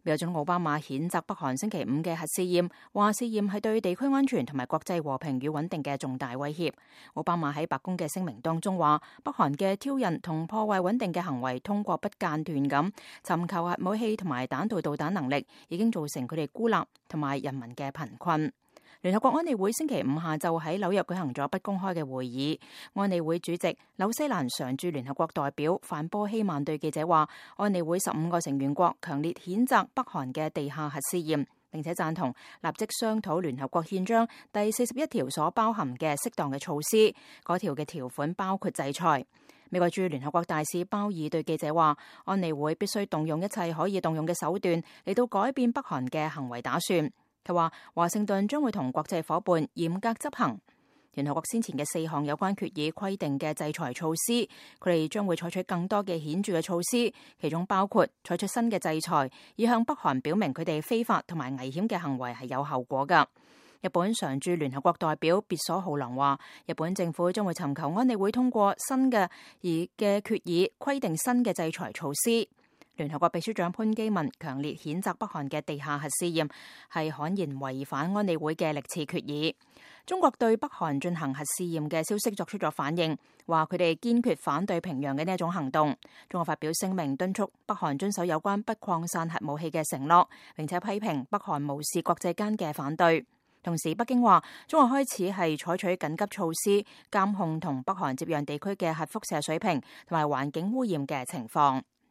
美國總統奧巴馬譴責北韓星期五嘅核試驗，話試驗係對地區安全同埋國際和平與穩定嘅重大威脅。奧巴馬喺白宮嘅聲明當中話，北韓嘅挑釁同破壞穩定嘅行為，通過不間斷咁尋求核武器同埋彈道導彈能力，已經造成佢哋孤立同埋人民嘅貧困。聯合國安理會星期五下晝喺紐約舉行咗不公開嘅會議。安理會主席紐西蘭常駐聯合國代表范波希曼對記者話，安理會15個成員國強烈譴責北韓嘅地下核試驗，並且贊同立即商討聯合國憲章第41條所包含嘅適當嘅措施。嗰條嘅條款包括制裁。美國駐聯合國大使鮑爾對記者話，安理會必須動用一切可以動用嘅手段嚟到改變北韓嘅行為打算。佢話華盛頓將會同國際夥伴嚴格執行聯合國先前嘅4項有關決議規定嘅制裁措施，佢哋將會採取更多嘅顯著嘅措施，其中包括採取新嘅制裁，以向北韓表明佢哋非法同埋危險嘅行為係有後果㗎。日本常駐聯合國代表別所浩郎話，日本政府將會尋求安理會通過新嘅決議，規定新嘅制裁措施。聯合國秘書長潘基文強烈譴責北韓嘅地下核試驗係悍然違反安理會嘅歷次決議。中國對北韓進行核試驗嘅消息作出咗反應，話佢哋堅決反對平壤嘅呢一種行動。中國發表聲明敦促北韓遵守有關不擴散核武器嘅承諾，並且批評北韓無視國際間嘅反對。同時，北京話中國開始係採取緊急措施監控同北韓接壤地區嘅核輻射水平同埋環境污染嘅情況。